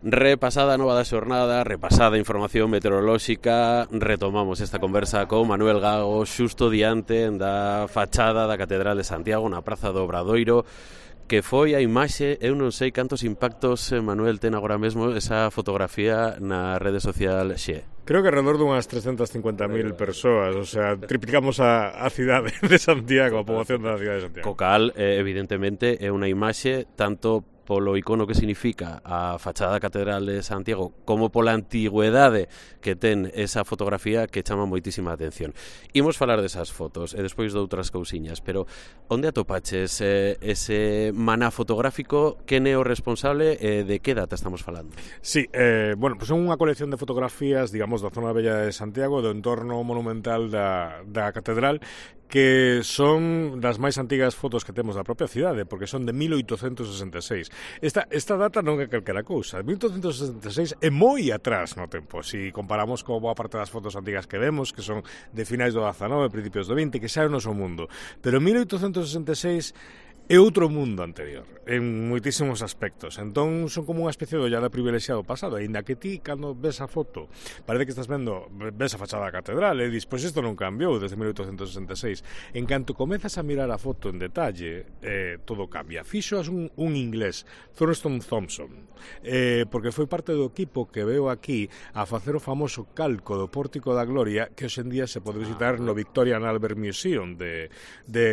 Repasada a nova da xornada, repasada a información meteorolóxica, retomamos esta conversa con Manuel Gago xusto diante da fachada da Catedral de Santiago na Praza do Obradoiro, que foi a imaxe, eu non sei cantos impactos, Manuel, ten agora mesmo esa fotografía na rede social Xe. Creo que alrededor de unhas 350.000 persoas, o sea, triplicamos a cidade de Santiago, a poboación da cidade de Santiago. Co cal, evidentemente, é unha imaxe tanto polo icono que significa a fachada da Catedral de Santiago como pola antigüedade que ten esa fotografía que chama moitísima atención. Imos falar desas fotos e despois de outras cousiñas, pero onde atopaches ese maná fotográfico? Quen é o responsable e de que data estamos falando? Sí, bueno, pues son unha colección de fotografías, digamos, da zona bella de Santiago, do entorno monumental da Catedral, que son das máis antigas fotos que temos da propia cidade, porque son de 1866. Esta data non é calquera cousa. 1866 é moi atrás no tempo. Si comparamos con boa parte das fotos antigas que vemos, que son de finais do 19, principios do 20, que xa é o noso mundo. Pero 1866 é outro mundo anterior, en moitísimos aspectos. Entón, son como unha especie de ollada privilexiado pasado, aínda que ti, cando ves a foto, parece que estás ves a fachada da catedral, e dis, pois isto non cambiou desde 1866. En canto comezas a mirar a foto en detalle, todo cambia. Fixoas un inglés, Thurston Thompson, porque foi parte do equipo que veo aquí a facer o famoso calco do Pórtico da Gloria, que hoxendía se pode visitar no Victoria and Albert Museum de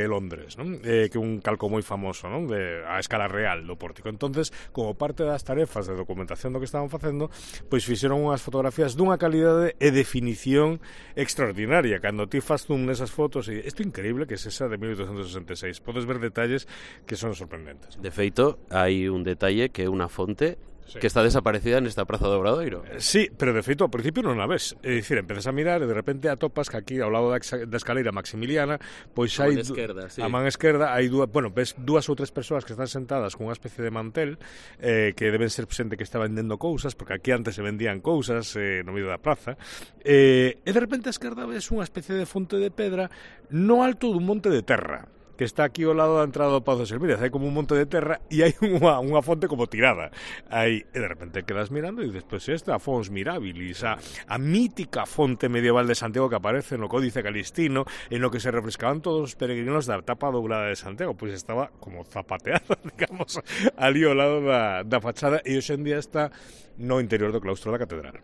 Londres, non? Que é un calco moi famoso, non? A escala real do pórtico. Entonces, como parte das tarefas de documentación do que estaban facendo, pois fixeron unhas fotografías dunha calidade e definición extraordinaria. Cando ti faz zoom nesas fotos, e isto é increíble que é esa de 1866. Podes ver detalles que son sorprendentes. De feito, hai un detalle que é unha fonte que está desaparecida nesta Praza do Obradoiro. Sí, pero de feito ao principio non a ves. É dicir, empezas a mirar e de repente atopas que aquí ao lado da escaleira Maximiliana, pois hai a man esquerda hai ves dúas ou tres persoas que están sentadas con unha especie de mantel, que deben ser xente que está vendendo cousas, porque aquí antes se vendían cousas no medio da praza, e de repente a esquerda ves unha especie de fonte de pedra no alto dun monte de terra, que está aquí ao lado da entrada do Pazo de Selmírez. Hai como un monte de terra e hai unha fonte como tirada aí, e de repente quedas mirando e dices, pois esta Fons Mirabilis, a mítica fonte medieval de Santiago que aparece no Códice Calistino, en no que se refrescaban todos os peregrinos da etapa dourada de Santiago, pois estaba como zapateada, digamos, ali ao lado da fachada, e hoxe en día está no interior do claustro da catedral.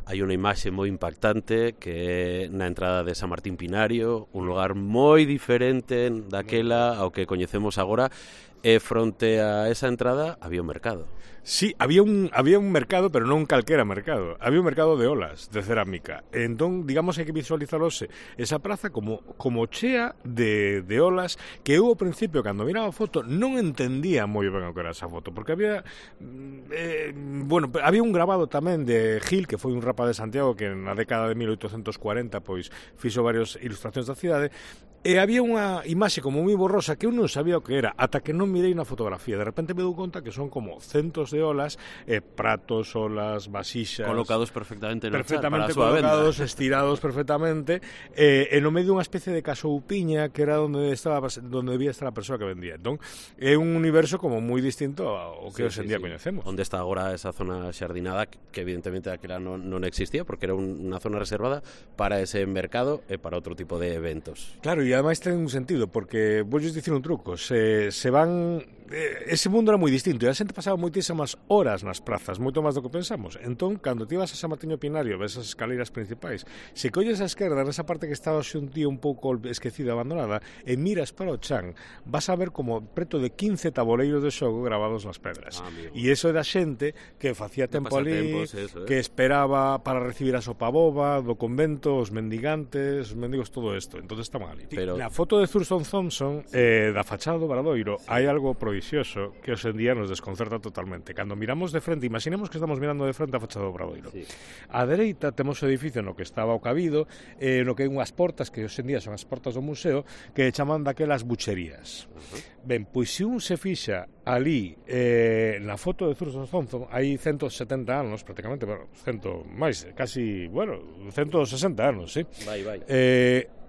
Hai unha imaxe moi impactante que é na entrada de San Martín Pinario, un lugar moi diferente daquela ao que coñecemos agora, e fronte a esa entrada había un mercado. Sí, había un mercado, pero non calquera mercado. Había un mercado de olas, de cerámica. Entón, digamos, hai que visualizarose esa praza como chea de olas, que eu ao principio, cando miraba a foto, non entendía moi ben o que era esa foto, porque había había un grabado tamén de Gil, que foi un rapa de Santiago que na década de 1840 pois fixo varias ilustracións da cidade, e había unha imaxe como moi borrosa que eu non sabía o que era, ata que non mirei na fotografía. De repente me dou conta que son como centos de olas, pratos, olas, vasixas colocados perfectamente no chat para a súa colocados, venda, estirados perfectamente, e no medio unha especie de casoupiña que era onde debía estar a persoa que vendía. Entón, é un universo como moi distinto ao que hoxe en día coñecemos. Onde está agora esa zona xardinada, que evidentemente aquela non existía, porque era unha zona reservada para ese mercado e para outro tipo de eventos. Claro, e ademais ten un sentido, porque voulle dicir un truco, se van ese mundo era moi distinto e a xente pasaba moitísimas horas nas prazas, moito máis do que pensamos. Entón, cando ti vas a San Martiño Pinario, ves as escaleiras principais, se colles a esquerda nesa parte que estaba un día un pouco esquecida, abandonada, e miras para o chan, vas a ver como preto de 15 taboleiros de xogo gravados nas pedras. E iso é da xente que facía tempo ali, que esperaba para recibir a sopa boba do convento, os mendigantes, os mendigos, todo isto. Entón estaban ali. Pero na foto de Thurston Thompson, da fachada do Obradoiro, hai algo provisorio que hoxe en día nos desconcerta totalmente. Cando miramos de frente, imaginemos que estamos mirando de frente a fachada do Obradoiro. Sí. A dereita temos o edificio no que estaba o cabido, no que hai unhas portas que hoxe en día son as portas do museo, que chaman daquelas bucherías. Ben, pois se un se fixa ali na foto de Thurston Thompson, hai 170 anos prácticamente, 160 anos, sí. Vai.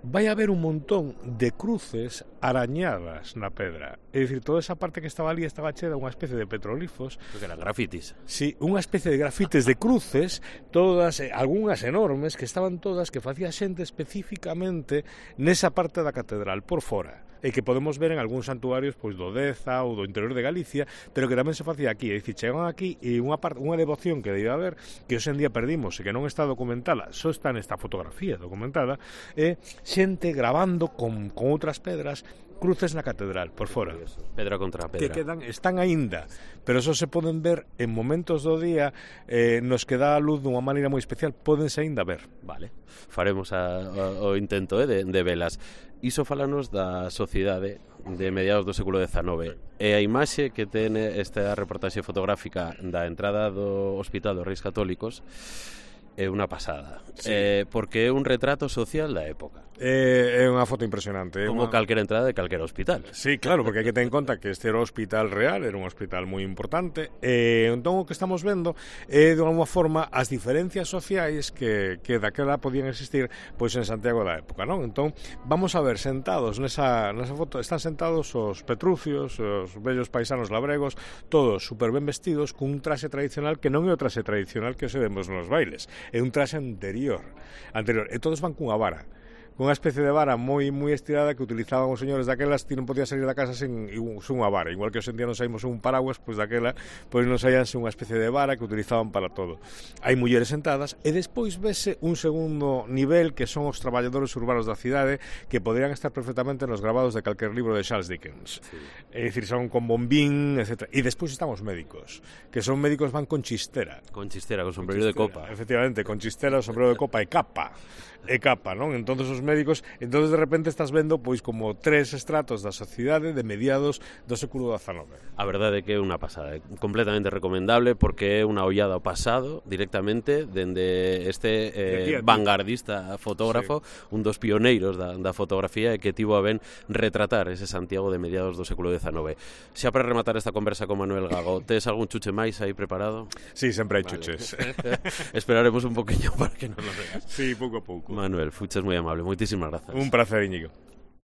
vai haber un montón de cruces arañadas na pedra. É dicir, toda esa parte que estaba ali estaba chea unha especie de petroglifos. Que eran grafitis. Sí, unha especie de grafites de cruces, todas, algunhas enormes, que estaban todas, que facía xente especificamente nesa parte da catedral, por fora, e que podemos ver en algúns santuarios pois do Deza ou do interior de Galicia, pero que tamén se facía aquí. É dicir, chegan aquí e unha devoción que debe haber, que hoxe en día perdimos e que non está documentada, só está nesta fotografía documentada, é xente gravando con outras pedras cruces na catedral, por fora. Pedra contra pedra. Que están aínda, pero só se poden ver en momentos do día nos que dá a luz dunha maneira moi especial, pódense aínda ver. Vale, faremos o intento de velas. Iso falanos da sociedade de mediados do século XIX. E a imaxe que ten esta reportaxe fotográfica da entrada do Hospital dos Reis Católicos é unha pasada, sí. Porque é un retrato social da época. É unha foto impresionante. Como calquera entrada de calquera hospital. Sí, claro, porque hai que ter en conta que este era o hospital real, era un hospital moi importante. Entón o que estamos vendo é de alguma forma as diferencias sociais que daquela podían existir pois en Santiago da época, non? Entón vamos a ver sentados nesa foto, están sentados os petrucios, os vellos paisanos labregos, todos super ben vestidos cun traxe tradicional que non é o traxe tradicional que se vemos nos bailes, é un traxe anterior, e todos van cunha vara, unha especie de vara moi estirada que utilizaban os señores daquelas. Ti non podías salir da casa sen unha vara, igual que hoxe en día non saímos un paraguas, pois daquela pois non saíanse unha especie de vara que utilizaban para todo. Hai mulleres sentadas e despois vese un segundo nivel que son os traballadores urbanos da cidade, que poderían estar perfectamente nos grabados de calquer libro de Charles Dickens. Sí. É dicir, son con bombín, etc. E despois están os médicos, que son médicos van con chistera. Con chistera, con sombrero de copa. Efectivamente, con chistera, sombrero de copa e capa. Non? Entonces os médicos, entonces de repente estás vendo pois como tres estratos da sociedade de mediados do século XIX. A verdade é que é unha pasada, completamente recomendable, porque é unha ollada ao pasado directamente dende este vanguardista fotógrafo, sí, un dos pioneiros da fotografía, e que tivo a ben retratar ese Santiago de mediados do século XIX. Xa para rematar esta conversa con Manuel Gago, tes algún chuche máis aí preparado? Sí, sempre hai chuches. Esperaremos un poquinho para que nos lo veas. Sí, pouco a pouco. Manuel, fuches moi amable, moitísimas grazas. Un placer, Íñigo.